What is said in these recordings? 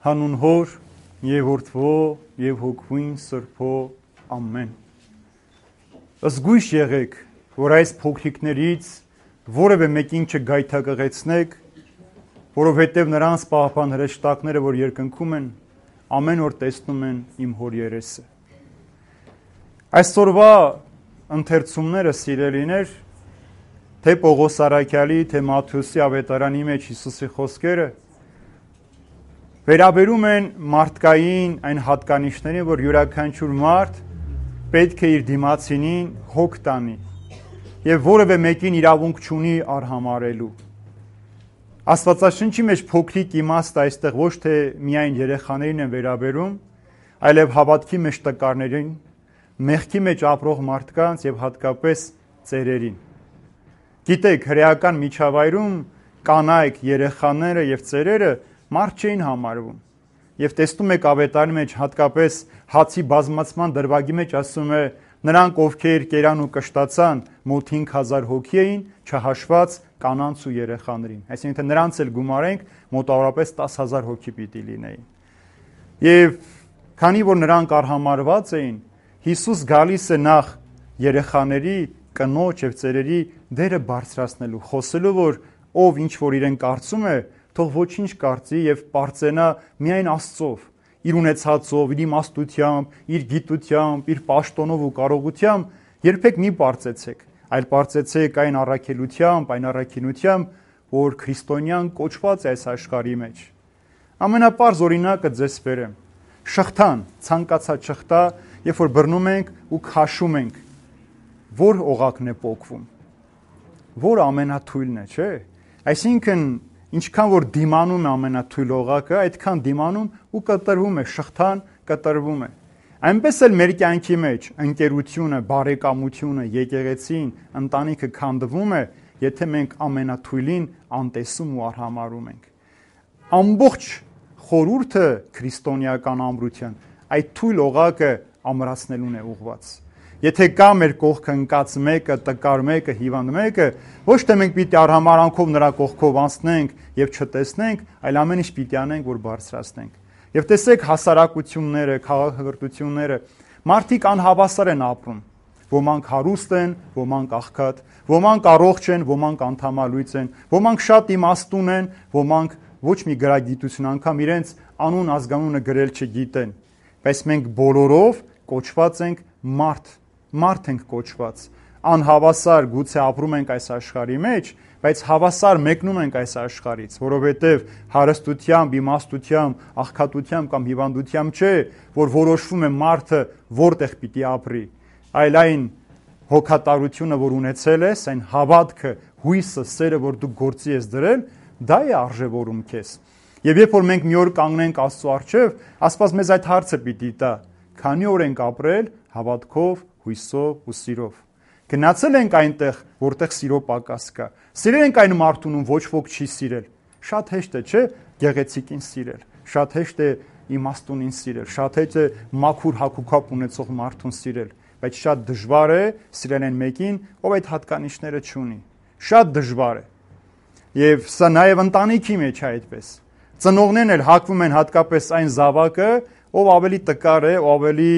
Հանուն Հոր եւ Որդվո եւ Հոգվին Սրբո ամեն։ Զգույշ եղեք, որ այս փոքրիկներից որևէ մեկին չգայթակղեցնեք, որովհետեւ նրանց պահապան հրեշտակները, որ երկնքում են, ամեն օր տեսնում են իմ Հոր երեսը։ Այսօրվա ընթերցումները, սիրելիներ, թե Պողոս Արաքյալի, թե Մատթեոսի ավետարանի մեջ Հիսուսի խոսքերը վերաբերում են մարդկային այն հատկանիշներին, որ յուրաքանչյուր մարդ պետք է իր դիմացինին հոգ տանի եւ որևէ մեկին իրավունք չունի արհամարելու։ Աստվածաշնչի մեջ փոքրիկ իմաստը այստեղ ոչ թե միայն երեխաներին են վերաբերում, այլև հավատքի մեջ տկարներին, մեղքի մեջ ապրող մարդկանց եւ հատկապես ծերերին։ Գիտեք, հրեական միջավայրում կանայք, երեխաները եւ ծերերը մարդ չէին համարվում։ Եվ տեսնում եք ավետարանի մեջ հատկապես հացի բազմացման դրվագի մեջ ասում է նրանք ովքեր կերան ու կշտացան մոտ 5000 հոգի էին, չհաշված կանանց ու երեխաներին։ Այսինքն նրանց էլ գումարենք մոտավորապես 10000 հոգի պիտի լինեին։ Եվ քանի որ նրանք արհամարված էին, Հիսուս գալիս է նախ երեխաների, կնոջ եւ ծերերի դերը բարձրացնելու, խոսելու, որ ով ինչ որ իրեն կարծում է, թող ոչինչ կարծի եւ պարծենա միայն Աստծով, իր ունեցածով, իր իմաստությամբ, իր գիտությամբ, իր պաշտոնով ու կարողությամբ, երբեք մի պարծեցեք, այլ պարծեցեք այն առաքելությամբ, այն առաքինությամբ, որ քրիստոնյան կոչված է այս աշխարհի մեջ։ Ամենապարզ օրինակը ձեզ բերեմ։ Շղթան, ցանկացած շղթա, երբ որ բռնում ենք ու քաշում ենք, որ օղակն է պոկվում, որ ամենաթույլն է, չէ՞։ Այսինքն ինչքան որ դիմանում է ամենաթույլ օղակը, այդքան դիմանում ու կտրվում է, շղթան կտրվում է։ Այնպես էլ մեր կյանքի մեջ ընկերությունը, բարեկամությունը, եկեղեցին, ընտանիքը քանդվում է, եթե մենք ամենաթույլին անտեսում ու արհամարում ենք։ Ամբողջ խորհուրդը քրիստոնեական ամրության այդ թույլ օղակը ամրացնելուն է ուղղված։ Եթե կա մեր կողքը ընկած մեկը, տկար մեկը, հիվանդ մեկը, ոչ թե մենք պիտի արհամարանքով նրա կողքով անցնենք եւ չտեսնենք, այլ ամեն ինչ պիտի անենք, որ բարձրացնենք։ Եվ տեսեք հասարակությունները, քաղաքակրթությունները, մարդիկ անհավասար են ապրում։ Ոմանք հարուստ են, ոմանք աղքատ, ոմանք առողջ են, ոմանք անդամալույծ են, ոմանք շատ իմաստուն են, ոմանք ոչ մի գրագիտություն անգամ իրենց անուն ազգանունը գրել չգիտեն։ Բայց մենք բոլորով կոչված ենք մարդ ենք կոչված, անհավասար գուցե ապրում ենք այս աշխարհի մեջ, բայց հավասար մեկնում ենք այս աշխարհից, որովհետև հարստությամբ, իմաստությամբ, աղքատությամբ կամ հիվանդությամբ չէ, որ որոշվում է մարդը որտեղ պիտի ապրի, այլ այն հոգատարությունը, որ ունեցել ես, այն հավատքը, հույսը, սերը, որ դու գործի ես դրել, դա է արժևորում քեզ։ Եվ երբ որ մենք մի օր կանգնենք Աստծո առջև, Աստված մեզ այդ հարցը պիտի տա. քանի օր ենք ապրել հավատքով, հույսով ու սիրով։ Գնացել ենք այնտեղ, որտեղ սիրո պակաս կա։ Սիրել ենք այն մարդուն, ում ոչ ոք չի սիրել։ Շատ հեշտ է, չէ՞, գեղեցիկին սիրել։ Շատ հեշտ է իմաստունին սիրել։ Շատ հեշտ է մաքուր հագուկապ ունեցող մարդուն սիրել, բայց շատ դժվար է սիրել այն մեկին, ով այդ հատկանիշները չունի։ Շատ դժվար է։ Եվ սա նաև ընտանիքի մեջ է այդպես։ Ծնողներն էլ հակվում են հատկապես այն զավակը, ով ավելի տկար է, ով ավելի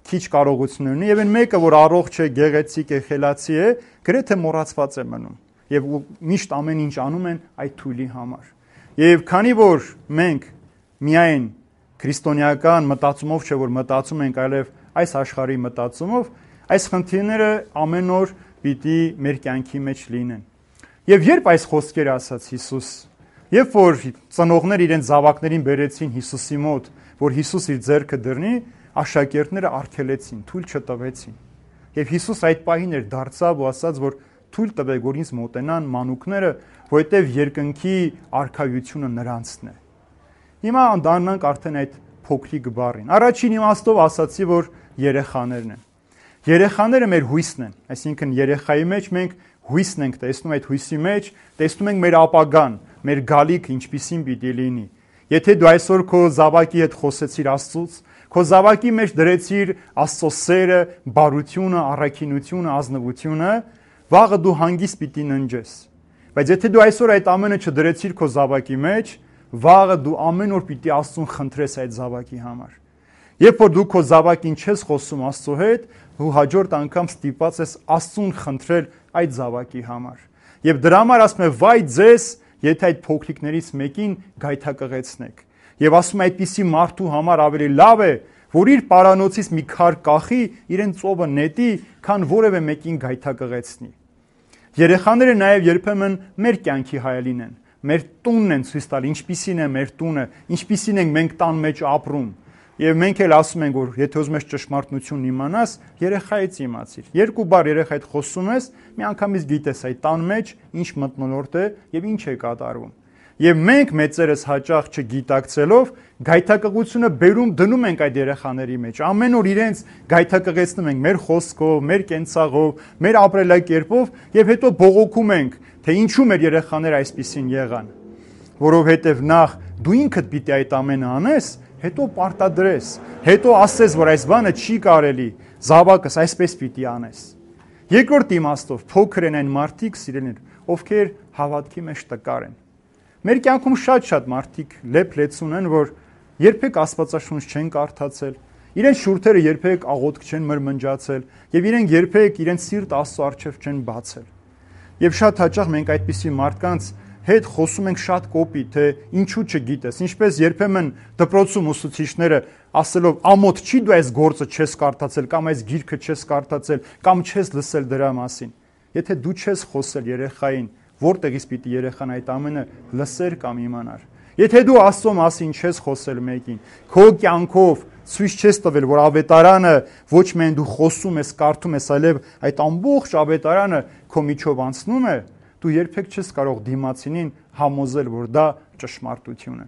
քիչ կարողություն ունի, եւ այն մեկը, որ առողջ է, գեղեցիկ է, խելացի է, գրեթե մոռացված է մնում։ Եվ միշտ ամեն ինչ անում են այդ թույլի համար։ Եվ քանի որ մենք միայն քրիստոնեական մտածումով չէ, որ մտածում ենք, այլև այս աշխարհի մտածումով, այս խնդիրները ամեն օր պիտի մեր կյանքի մեջ լինեն։ Եվ երբ այս խոսքերը ասաց Հիսուս, երբ որ ծնողներ իրենց զավակներին բերեցին Հիսուսի մոտ, որ Հիսուս իր ձեռքը դռնի, աշակերտները արգելեցին, թույլ չտվեցին։ Եվ Հիսուս այդ պահին էր դարձավ ու ասաց, որ թույլ տվեք, որ ինձ մոտենան մանուկները, որովհետև երկնքի արքայությունը նրանցն է։ Հիմա դառնանք արդեն այդ փոքրիկ բառին։ Առաջին իմաստով ասացի, որ երեխաներն են։ Երեխաները մեր հույսն են, այսինքն երեխայի մեջ մենք հույսն ենք տեսնում, այդ հույսի մեջ տեսնում ենք մեր ապագան, մեր գալիքը ինչպիսին պիտի լինի։ Եթե դու այսօր քո զավակի հետ խոսեցիր Աստծուց, քո զավակի մեջ դրեցիր Աստծո սերը, բարությունը, առաքինությունը, ազնվությունը, վաղը դու հանգիստ պիտի ննջես։ Բայց եթե դու այսօր այդ ամենը չդրեցիր քո զավակի մեջ, վաղը դու ամեն օր պիտի Աստծուն խնդրես այդ զավակի համար։ Երբ որ դու քո զավակին չես խոսում Աստծո հետ, դու հաջորդ անգամ ստիպված ես Աստծուն խնդրել այդ զավակի համար։ Եվ դրա համար ասում է վայ ձեզ, եթե այդ փոքրիկներից մեկին գայթակղեցնեք։ Եվ ասում է այդպիսի մարդու համար ավելի լավ է, որ իր պարանոցից մի քար կախի, իրեն ծովը նետի, քան որևէ մեկին գայթակղեցնի։ Երեխաները նաև երբեմն մեր կյանքի հայելին են, մեր տունն են ցույց տալ, ինչպիսին է մեր տունը, ինչպիսին ենք մենք տան մեջ ապրում։ Եվ մենք էլ ասում ենք, որ եթե ուզում ես ճշմարտությունն իմանաս, երեխայից իմացիր։ Երկու բառ երեխայիդ խոսում ես, միանգամից գիտես այդ տան մեջ ինչ մթնոլորտ է եւ ինչ է կատարվում։ Եվ մենք մեծերս հաճախ չգիտակցելով գայթակղությունը դնում ենք այդ երեխաների մեջ։ Ամեն օր իրենց գայթակղեցնում ենք մեր խոսքով, մեր կենցաղով, մեր ապրելակերպով եւ հետո բողոքում ենք, թե ինչու մեր երեխաները այսպիսին եղան։ Որովհետեւ նախ դու ինքդ պիտի այդ ամենը անես, հետո պարտադրես, հետո ասես, որ այս բանը չի կարելի, զավակս այսպես պիտի անես։ Երկրորդ իմաստով փոքր են այն մարդիկ, սիրելիներ, ովքեր հավատքի մեջ տկար են։ Մեր կյանքում շատ մարդիկ լեփ-լեցուն են, որ երբեք Աստվածաշունչ չեն կարդացել, իրենց շուրթերը երբեք աղոթք չեն մրմնջացել եւ իրենք երբեք իրենց սիրտ Աստծո առջև չեն բացել։ Եվ շատ հաճախ մենք այդպիսի մարդկանց հետ խոսում ենք շատ կոպիտ, թե ինչու չգիտես, ինչպես երբեմն դպրոցում ուսուցիչները ասելով ամոթ չի դու այս գործը չես կարդացել կամ այս գիրքը չես կարդացել կամ չես լսել դրա մասին։ Եթե դու չես խոսել երեխային, որտեղից պիտի երեխան այդ ամենը լսեր կամ իմանար։ Եթե դու Աստծո մասին չես խոսել մեկին, քո կյանքով ցույց չես տվել, որ ավետարանը ոչ միայն դու խոսում ես, կարդում ես, այլև այդ ամբողջ ավետարանը քո միջով անցնում է, դու երբեք չես կարող դիմացինին համոզել, որ դա ճշմարտություն է։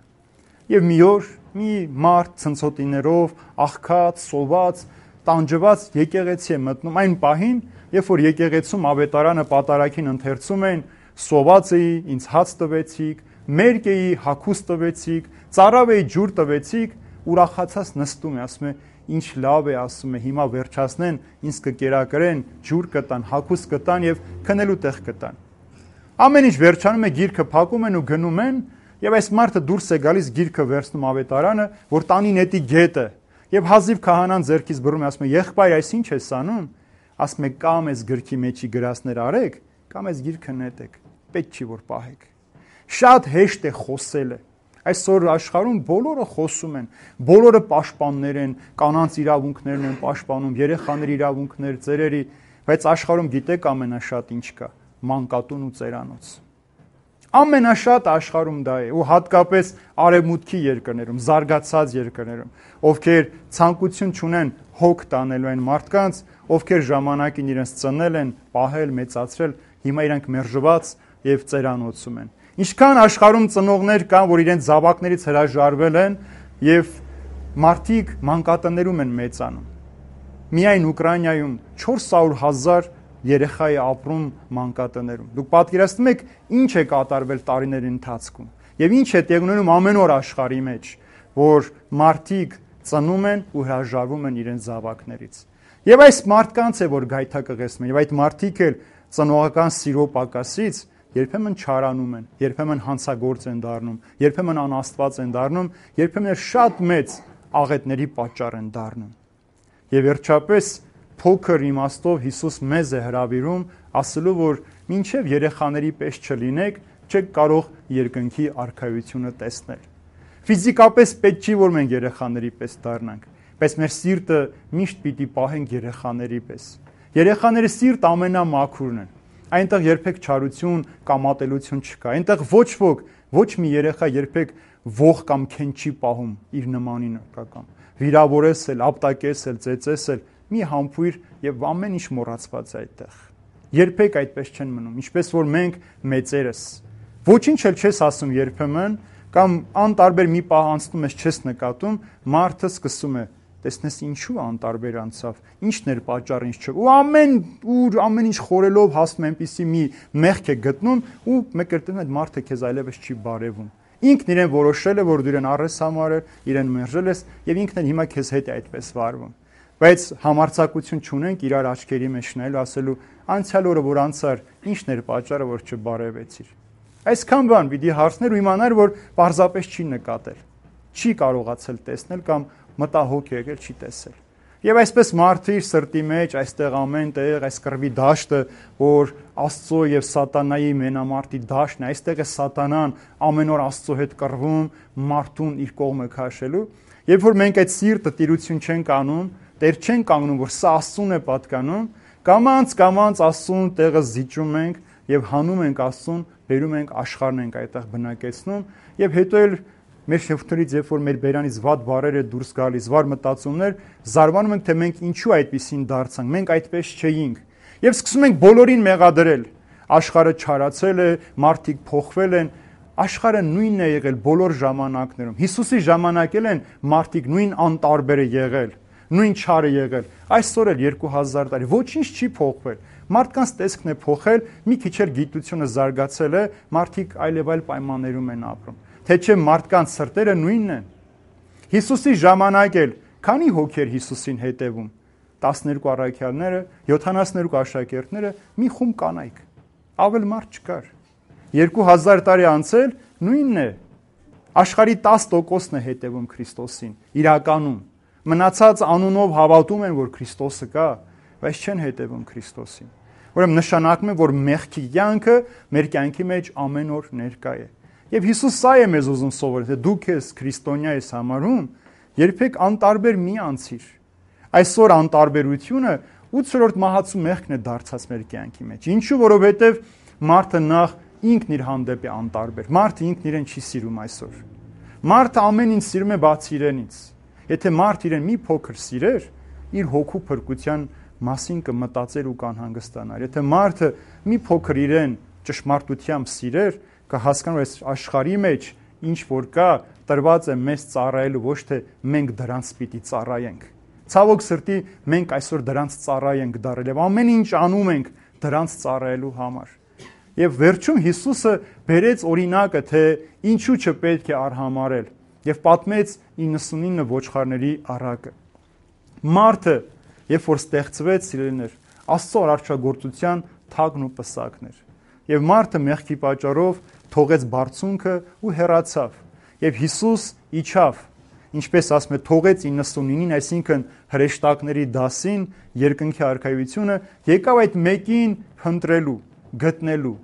Եվ մի օր մի մարդ ցնցոտիներով, աղքած, սոված, տանջված եկեղեցի է մտնում այն պահին, երբ որ եկեղեցում ավետարանը պատարագին ընթերցում են, սոված էի, ինձ հաց տվեցիք, մերկ էի, հագուստ տվեցիք, ծարավ էի, ջուր տվեցիք, ուրախացած նստում է, ասում է, ինչ լավ է, ասում է, հիմա վերջացնեն, ինձ կկերակրեն, ջուր կտան, հագուստ կտան եւ քնելու տեղ կտան։ Ամեն ինչ վերջանում է, գիրքը փակում են ու գնում են, եւ այս մարդը դուրս է գալիս, գիրքը վերցնում ավետարանը, որ տանի նետի գետը, եւ հազիվ քահանան ձեռքից բռնում է, ասում է, եղբայր, այս ինչ ես անում։ Ասում է, կամ այս գրքի մեջի գրածներ արեք, կամ այս գիրքը նետեք, պետք չի որ պահեք։ Շատ հեշտ է խոսելը։ Այսօր աշխարհում բոլորը խոսում են, բոլորը պաշտպաններ են, կանանց իրավունքներն են պաշտպանում, երեխաների իրավունքներ, ծերերի, բայց աշխարհում գիտեք ամենաշատ ինչ կա՝ մանկատուն ու ծերանոց։ Ամենաշատ աշխարհում դա է, ու հատկապես արևմուտքի երկրներում, զարգացած երկրներում, ովքեր ցանկություն չունեն հոգ տանելու այն մարդկանց, ովքեր ժամանակին իրենց ծնել են, պահել, մեծացրել, հիմա իրանք մերժված եւ ծերանոցում են։ Ինչքան աշխարհում ծնողներ կան, որ իրենց զավակներից հրաժարվել են եւ մարդիկ մանկատներում են մեծանում։ Միայն Ուկրաինայում 400,000 երեխա է ապրում մանկատներում։ Դուք պատկերացնում եք ինչ է կատարվել տարիների ընթացքում եւ ինչ է տեղ ունենում ամեն օր աշխարհի մեջ, որ մարդիկ ծնում են ու հրաժարվում են իրենց զավակներից։ Եվ այս մարդկանց է որ գայթակղեցնում են եւ այդ մարդիկ էլ ծնողական սիրո պակասից երբեմն չարանում են, երբեմն հանցագործ են դառնում, երբեմն անաստված են դառնում, երբեմն շատ մեծ աղետների պատճառ են դառնում։ Եվ վերջապես փոքր իմաստով Հիսուս մեզ է հրավիրում, ասելով, որ մինչև երեխաների պես չլինեք, չեք կարող երկնքի արքայությունը տեսնել։ Ֆիզիկապես պետք չի, որ մենք երեխաների պես դառնանք, բայց մեր սիրտը միշտ պիտի պահենք երեխաների պես։ Երեխաների սիրտ ամենամաքուրն են։ Այնտեղ երբեք չարություն կամ ատելություն չկա։ Այնտեղ ոչ ոք, ոչ մի երեխա երբեք ող կամ քեն չի պահում իր նմանին կամ վիրավորեսել, ապտակեսել, ծեծեսել, մի համբույր եւ ամեն ինչ մոռացված է այդտեղ։ Երբեք այդպես չեն մնում, ինչպես որ մենք մեծերս։ Ոչինչ էլ չես ասում երբեմն, կամ անտարբեր մի պահ անցնում ես չես նկատում, մարդը սկսում է տեսնես ինչու անտարբեր անցավ, ինչն էր պատճառը, ինչ չէ։ Ու ամեն ինչ խորելով հասնում այնպիսի մի մեղք է գտնում ու մեկ էլ այդ մարդը քեզ այլևս չի բարևում։ Ինքն իրեն որոշել է, որ դու իրեն առես համարել, իրեն մերժել ես եւ ինքն էլ հիմա քեզ հետ է այդպես վարվում։ Բայց համարձակություն չունենք իրար աչքերի մեջ նայելու, ասելու անցյալ օրը որ անցար, ինչն էր պատճառը, որ չբարևեցիր։ Այսքան բան պիտի հարցներ ու իմանար, որ պարզապես չի նկատել, չի կարողացել տեսնել կամ մտահոգ եկել, չի տեսել։ Եվ այսպես մարդը իր սրտի մեջ, այստեղ ամեն տեղ, այս կռվի դաշտը, որ Աստծո եւ Սատանայի մենամարտի դաշտն է, այստեղ է Սատանան ամեն օր Աստծո հետ կռվում, մարդուն իր կողմը քաշելու։ Երբ որ մենք այդ սիրտը տիրություն չենք անում, Տեր չենք կանգնում, որ սա Աստծուն է պատկանում, կամաց Աստծուն տեղը զիջում ենք եւ հանում ենք Աստծուն, բերում ենք աշխարհն ենք այդտեղ բնակեցնում եւ հետո էլ մեր շեփթորից երբ որ մեր բերանից վատ բառեր է դուրս գալիս, վար մտածումներ, զարմանում ենք, թե մենք ինչու այդպեսին դարձանք, մենք այդպես չէինք։ Եվ սկսում ենք բոլորին մեղադրել։ Աշխարհը չարացել է, մարդիկ փոխվել են, աշխարհը նույնն է եղել բոլոր ժամանակներում։ Հիսուսի ժամանակել են մարդիկ նույն անտարբեր է եղել, նույն չարը եղել։ Այսօր էլ 2000 տարի ոչինչ չի փոխվել։ Մարդկանց տեսքն է փոխել, մի քիչ էլ գիտությունը զարգացել է, մարդիկ այլ պայմաններում են ապրում։ Թե չէ մարդկանց սրտերը նույնն են։ Հիսուսի ժամանակ էլ քանի հոգեր Հիսուսին հետևում։ 12 առաքյալները, 72 աշակերտները, մի խումբ կանայք։ Ավել մարդ չկար։ 2000 տարի անցել նույնն է։ Աշխարհի 10%-ն է հետևում Քրիստոսին, իրականում։ Մնացած անունով հավատում են, որ Քրիստոսը կա, բայց չեն հետևում Քրիստոսին։ Ուրեմն նշանակում է, որ մեղքի կյանքը մեր կյանքի մեջ ամեն օր ներկա է։ Եվ Հիսուս սա է մեզ ուզում սովորել, թե դու քեզ քրիստոնյա ես համարում, երբեք անտարբեր մի անցիր։ Այսօր անտարբերությունը 8-րդ մահացու մեղքն է դարձած մեր կյանքի մեջ։ Ինչու, որովհետև մարդը նախ ինքն իր հանդեպ է անտարբեր։ Մարդը ինքն իրեն չի սիրում այսօր։ Մարդը ամեն ինչ սիրում է բացի իրենից։ Եթե մարդ իրեն մի փոքր սիրեր, իր հոգու փրկության մասին կմտածեր ու կանհանգստանար։ Եթե մարդը մի փոքր իրեն ճշմարտությամբ սիրեր, կհասկանար, որ այս աշխարհի մեջ ինչ որ կա, տրված է մեզ ծառայելու, ոչ թե մենք դրանց պիտի ծառայենք։ Ցավոք սրտի մենք այսօր դրանց ծառայ ենք դարել եւ ամեն ինչ անում ենք դրանց ծառայելու համար։ Եվ վերջում Հիսուսը բերեց օրինակը, թե ինչու չպետք է արհամարել եւ պատմեց 99 ոչխարների առակը։ Մարդը, երբ որ ստեղծվեց, սիրելիներ, Աստծո արարչագործության թագն ու պսակն էր։ Եվ մարդը մեղքի պատճառով թողեց բարձունքը ու հեռացավ։ Եվ Հիսուս իջավ, ինչպես ասում է, թողեց 99-ին, այսինքն հրեշտակների դասին, երկնքի արքայությունը, եկավ այդ մեկին փնտրելու, գտնելու։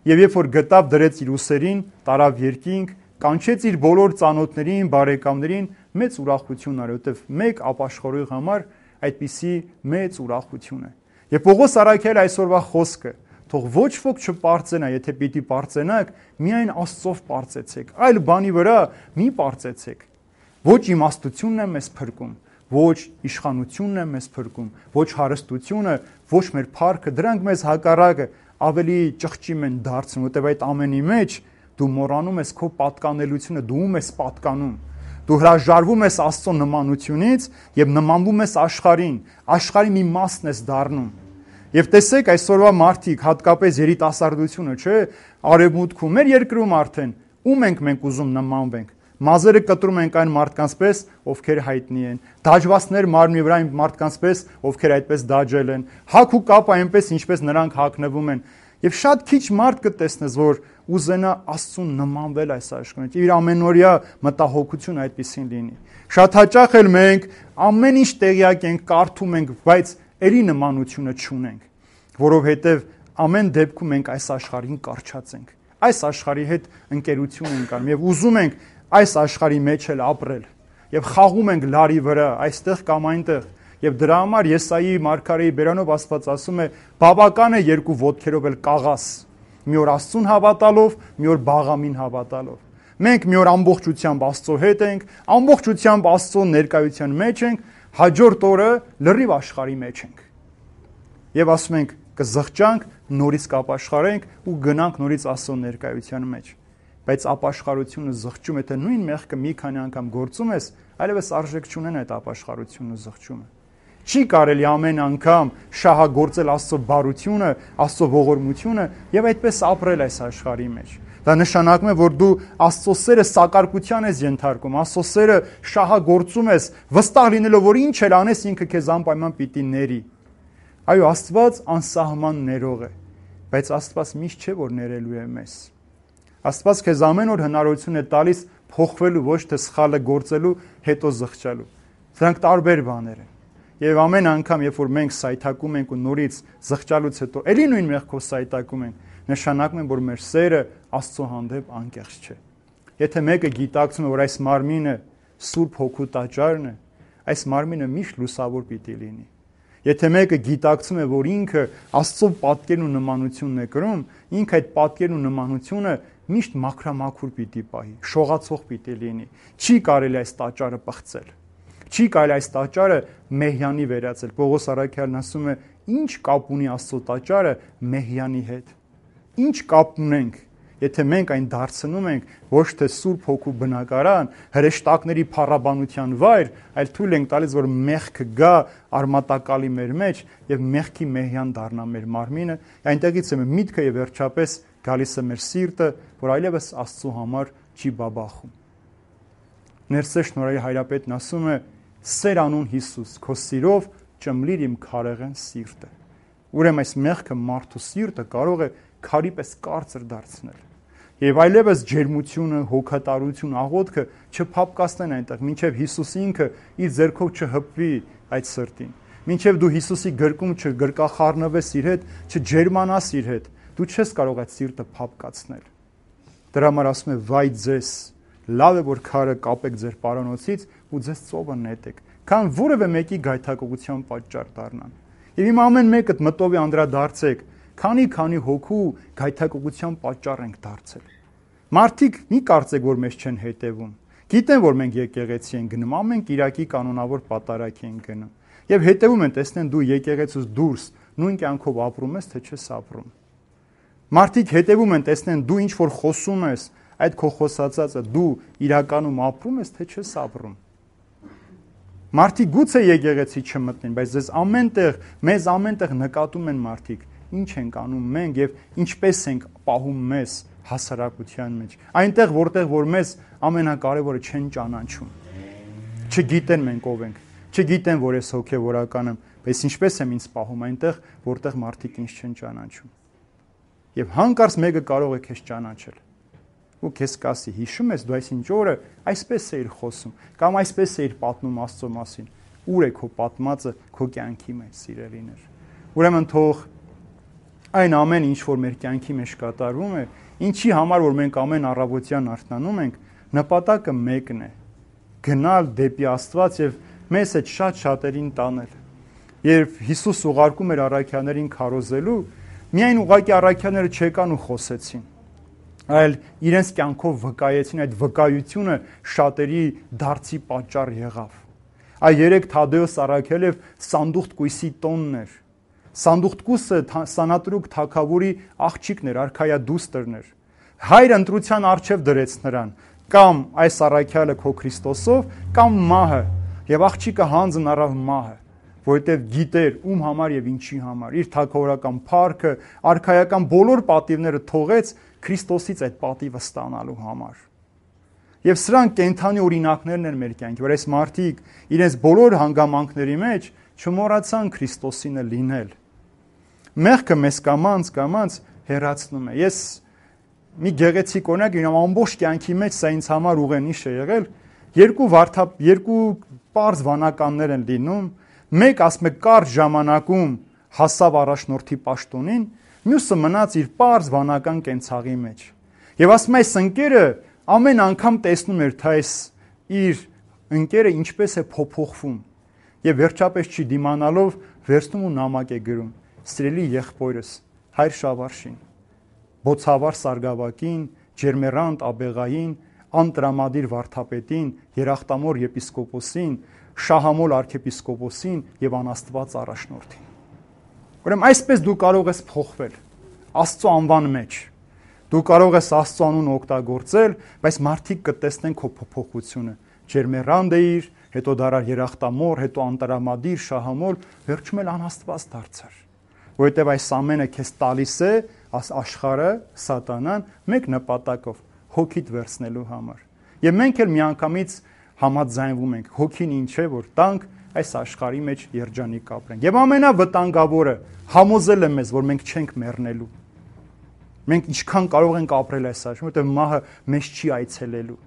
Եվ երբ որ գտավ, դրեց իր ուսերին, տարավ երկինք, կանչեց իր բոլոր ծանոթներին, բարեկամներին, մեծ ուրախություն արի, որտեվ մեկ ապաշխարողի համար այդպիսի մեծ ուրախություն է։ Եվ Պողոս առաքյալը այսօրվա խոսքը, թող ոչ ոք չպարծենա, եթե պիտի պարծենաք, միայն Աստծով պարծեցեք, այլ բանի վրա մի պարծեցեք։ Ոչ իմաստությունն է մեզ փրկում, ոչ իշխանությունն է մեզ փրկում, ոչ հարստությունը, ոչ մեր փառքը, դրանք մեզ հակառակը ավելի ճղճիմ են դարձնում, որտեղ այդ ամենի մեջ դու մոռանում ես քո պատկանելությունը, դու ում ես պատկանում։ Դու հրաժարվում ես Աստծո նմանությունից եւ նմանվում ես աշխարհին, աշխարհի մի մասն ես դառնում։ Եվ տեսեք այսօրվա մարդիկ, հատկապես երիտասարդությունը, չէ, արևմուտքում, մեր երկրում արդեն ում ենք մենք ուզում նմանվենք։ Մազերը կտրում ենք այն մարդկանց պես, ովքեր հայտնի են։ Դաջվածներ մարմնի վրա այն մարդկանց պես, ովքեր այդպես դաջել են։ Հակ ու կապ այնպես, ինչպես նրանք հագնվում են։ Եվ շատ քիչ մարդ կտեսնես, որ ուզենա Աստծուն նմանվել այս աշխարհին։ Իր ամենօրյա մտահոգությունը այդպեսին լինի։ Շատ հաճախ էլ մենք ամեն ինչ տեղյակ ենք, կարդում ենք, բայց ելի նմանությունը չունենք, որովհետև ամեն դեպքում մենք այս աշխարհին կարճած ենք։ Այս աշխարհի հետ ընկերություն ենք անում եւ ուզում ենք այս աշխարհի մեջ էլ ապրել եւ խաղում ենք լարի վրա, այստեղ կամ այնտեղ։ Եվ դրա համար Եսայի մարգարեի բերանով Աստված ասում է. բավական է երկու ոտքերով էլ կաղաս, մի օր Աստծուն հավատալով, մի օր Բաղամին հավատալով։ Մենք մի օր ամբողջությամբ Աստծո հետ ենք, ամբողջությամբ Աստծո ներկայության մեջ ենք, հաջորդ օրը լրիվ աշխարհի մեջ ենք։ Եվ ասում ենք կզղջանք, նորից կապաշխարենք ու գնանք նորից Աստծո ներկայության մեջ։ Բայց ապաշխարությունը զղջում, եթե նույն մեղքը մի քանի անգամ գործում ես, այլևս արժեք չունեն այդ ապաշխարությունը զղջումը։ Չի կարելի ամեն անգամ շահագործել Աստծո բարությունը, Աստծո ողորմությունը եւ այդպես ապրել այս աշխարհի մեջ։ Դա նշանակում է, որ դու Աստծո սերը սակարկության ես ենթարկում, Աստծո սերը շահագործում ես, վստահ լինելով, որ ինչ էլ անես, ինքը քեզ անպայման պիտի ների։ Այո, Աստված անսահման ներող է, բայց Աստված միշտ չէ, որ ներելու է մեզ։ Աստված քեզ ամեն օր հնարավորություն է տալիս փոխվելու, ոչ թե սխալը գործելու, հետո զղջալու։ Դրանք տարբեր բաներ են։ Եվ ամեն անգամ, երբ որ մենք սայթակում ենք ու նորից զղջալուց հետո էլի նույն մեղքով սայթակում ենք, նշանակում է, որ մեր սերը Աստծո հանդեպ անկեղծ չէ։ Եթե մեկը գիտակցում է, որ այս մարմինը Սուրբ Հոգու տաճարն է, այս մարմինը միշտ լուսավոր պիտի լինի։ Եթե մեկը գիտակցում է, որ ինքը Աստծո պատկերն ու նմանությունն է կրում, ինքը այդ պատկերն ու նմանությունը միշտ մաքրամաքուր պիտի պահի, շողացող պիտի լինի։ Չի կարելի այս տաճարը պղծել։ Չի կարելի այս տաճարը մեհյանի վերածել։ Պողոս առաքյալն ասում է, ինչ կապ ունի Աստծո տաճարը մեհյանի հետ։ Ինչ կապ ունենք, եթե մենք այն դարձնում ենք ոչ թե Սուրբ Հոգու բնակարան, հրեշտակների փառաբանության վայր, այլ թույլ ենք տալիս, որ մեղքը գա արմատակալի մեր մեջ եւ մեղքի մեհյան դառնա մեր մարմինը, այնտեղից է միտքը եւ վերջապես գալիս է մեր սիրտը, որ այլևս Աստծո համար չի բաբախում։ Ներսե շնորհի հայրապետն ասում է. «Սեր անուն Հիսուս, քո սիրով ճմլիր իմ քարեղեն սիրտը»։ Ուրեմն այս մեղքը մարդու սիրտը կարող է քարի պես կարծր դարձնել։ Եվ այլևս ջերմությունը, հոգատարություն, աղոթքը չփապկացնեն այնտեղ, մինչև Հիսուս ինքը իր ձեռքով չհպվի այդ սրտին։ Մինչև դու Հիսուսի գրկում չգրկախառնվես իր հետ, չջերմանաս իր հետ, դու չես կարող այդ սիրտը փապկացնել։ Դրա համար ասում է. «Վայ ձեզ, լավ է որ քարը կապեք ձեր պարանոցից ու ձեզ ծովը նետեք, քան որևէ մեկի գայթակղության պատճառ դառնան»։ Եվ իմ ամեն մեկդ մտովի անդրադարձեք, քանի հոգու գայթակղության պատճառ ենք դարձել։ Մարդիկ մի կարծեք, որ մեզ չեն հետևում։ Գիտեն, որ մենք եկեղեցի ենք գնում, ամեն կիրակի կանոնավոր պատարագի ենք գնում։ Եվ հետևում են, տեսնեն դու եկեղեցուց դուրս նույն կյանքով ապրում ես, թե չես ապրում։ Մարդիկ հետևում են, տեսնեն դու ինչ որ խոսում ես, այդ քո խոսածածը դու իրականում ապրում ես, թե չես ապրում։ Մարդիկ գուցե եկեղեցի չմտնեն, բայց մեզ ամենտեղ նկատում են մարդիկ, ինչ ենք անում մենք եւ ինչպես ենք պահում մեզ հասարակության մեջ։ Այնտեղ, որտեղ որ մեզ ամենակարևորը չեն ճանաչում։ Չգիտեն մենք ով ենք, չգիտեն, որ ես հոգեվորական եմ, բայց ինչպես եմ ինձ պահում այնտեղ, որտեղ մարդիկ ինձ չեն ճանաչում։ Եվ հանկարծ մեկը կարող է քեզ ճանաչել։ Ու քեզ կասի, հիշում ես դու այսինչ օրը այսպես էիր խոսում, կամ այսպես էիր պատմում Աստծո մասին։ Ուր է քո պատմածը քո կյանքի մեջ, սիրելիներ։ Ուրեմն թող այն ամեն ինչ որ մեր կյանքի մեջ կատարվում է, ինչի համար որ մենք ամեն առավոտյան արթնանում ենք, նպատակը մեկն է՝ գնալ դեպի Աստված եւ մեզ այդ շատ-շատերին տանել։ Երբ Հիսուս ուղարկում էր առաքյալներին քարոզելու, միայն ուղակի առաքյալները չեկան ու խոսեցին, այլ իրենց կյանքով վկայեցին, այդ վկայությունը շատերի դարձի պատճառ եղավ։ Այ երեք Թադեոս առաքյալը Սանդուղտ կույսի տոնն էր։ Սանդուղտ կույսը Սանատրուկ թագավորի աղջիկն էր, արքայա դուստրն էր։ Հայրը ընտրության առջև դրեց նրան, կամ այս առաքյալը քո Քրիստոսով, կամ մահը, եւ աղջիկը հանձն առավ մահը, որովհետեւ գիտեր ում համար եւ ինչի համար, իր թագավորական փառքը, արքայական բոլոր պատիվները թողեց Քրիստոսից այդ պատիվը ստանալու համար։ Եվ սրանք կենթանի օրինակներն են մեր կյանքի, որ այս մարդիկ իրենց բոլոր հանգամանքների մեջ չմոռացան Քրիստոսինը լինել։ Մեղքը մեզ կամաց հեռացնում է։ Ես մի գեղեցիկ օրինակ ունեմ, ամբողջ կյանքի մեջ սա ինձ համար ուղենիշ է եղել։ Երկու պարզ վանականներ են լինում, մեկ ասում է կարճ ժամանակում հասավ առաջնորդի պաշտոնին, մյուսը մնաց իր պարզ վանական կենցաղի մեջ։ Եվ ասում է այս ընկերը ամեն անգամ տեսնում էր, թե այս իր ընկերը ինչպես է փոփոխվում։ Եվ վերջապես չի դիմանալով վերցնում ու նամակ է գրում. «Սիրելի եղբորս, Հայր Շավարշին, Բոցավար Սարգսակին, Ջերմերանտ Աբեղային, Անտրամադիր Վարդապետին, Երախտամոր եպիսկոպոսին, Շահամոլ arczepiskopոսին եւ անաստված առաջնորդին»։ Ուրեմն այսպես դու կարող ես փոխվել Աստծո անվան մեջ։ Դու կարող ես Աստծո անուն օգտագործել, բայց մարդիկ կտեսնեն քո փոփոխությունը։ Ջերմերանդ էիր, հետո դարար Երախտամոր, հետո Անտրամադիր, Շահամոլ, վերջում էլ անաստված դարձար։ Որովհետև այս ամենը քեզ տալիս է աշխարհը, սատանան, մեկ նպատակով՝ հոգիդ վերցնելու համար։ Եվ մենք էլ միանգամից համաձայնվում ենք, հոգին ինչ է, որ տանք այս աշխարհի մեջ երջանիկ ապրենք։ Եվ ամենավտանգավորը համոզել է մեզ, որ մենք չենք մեռնելու։ Մենք ինչքան կարող ենք ապրել այս աշխարհում, որտեղ մահը մեզ չի այցելելու։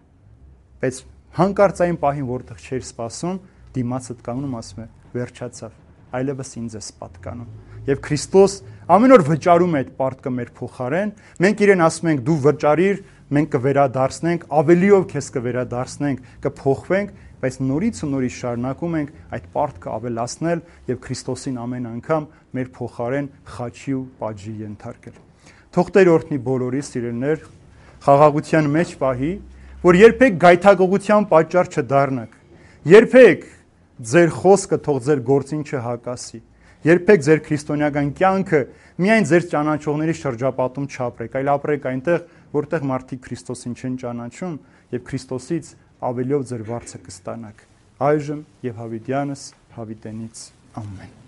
Բայց հանկարծային պահին, որտեղ չէր սպասում, դիմացդ կանգնում ասում է՝ վերջացավ, այլևս ինձ է պատկանում։ Եվ Քրիստոս ամեն օր վճարում է այդ պարտքը մեր փոխարեն։ Մենք իրեն ասում ենք՝ դու վճարիր, մենք կվերադարձնենք, ավելիով քեզ կվերադարձնենք, կփոխվենք, բայց նորից ու նորից շարունակում ենք այդ պարտքը ավելացնել եւ Քրիստոսին ամեն անգամ մեր փոխարեն խաչի ու պատժի ենթարկել։ Թող Տեր օրհնի բոլորիս սիրելիներ, խաղաղության մեջ պահի, որ երբեք գայթակղության պատճառ չդառնաք։ Երբեք ձեր խոսքը թող ձեր գործին չհակասի։ Երբեք ձեր քրիստոնեական կյանքը միայն ձեր ճանաչողների շրջապատում չապրեք, այլ ապրեք այնտեղ, որտեղ մարդիկ Քրիստոսին չեն ճանաչում եւ Քրիստոսից ավելիով ձեր վարձը կստանաք։ Այժմ եւ հավիտյանս հավիտենից ամեն։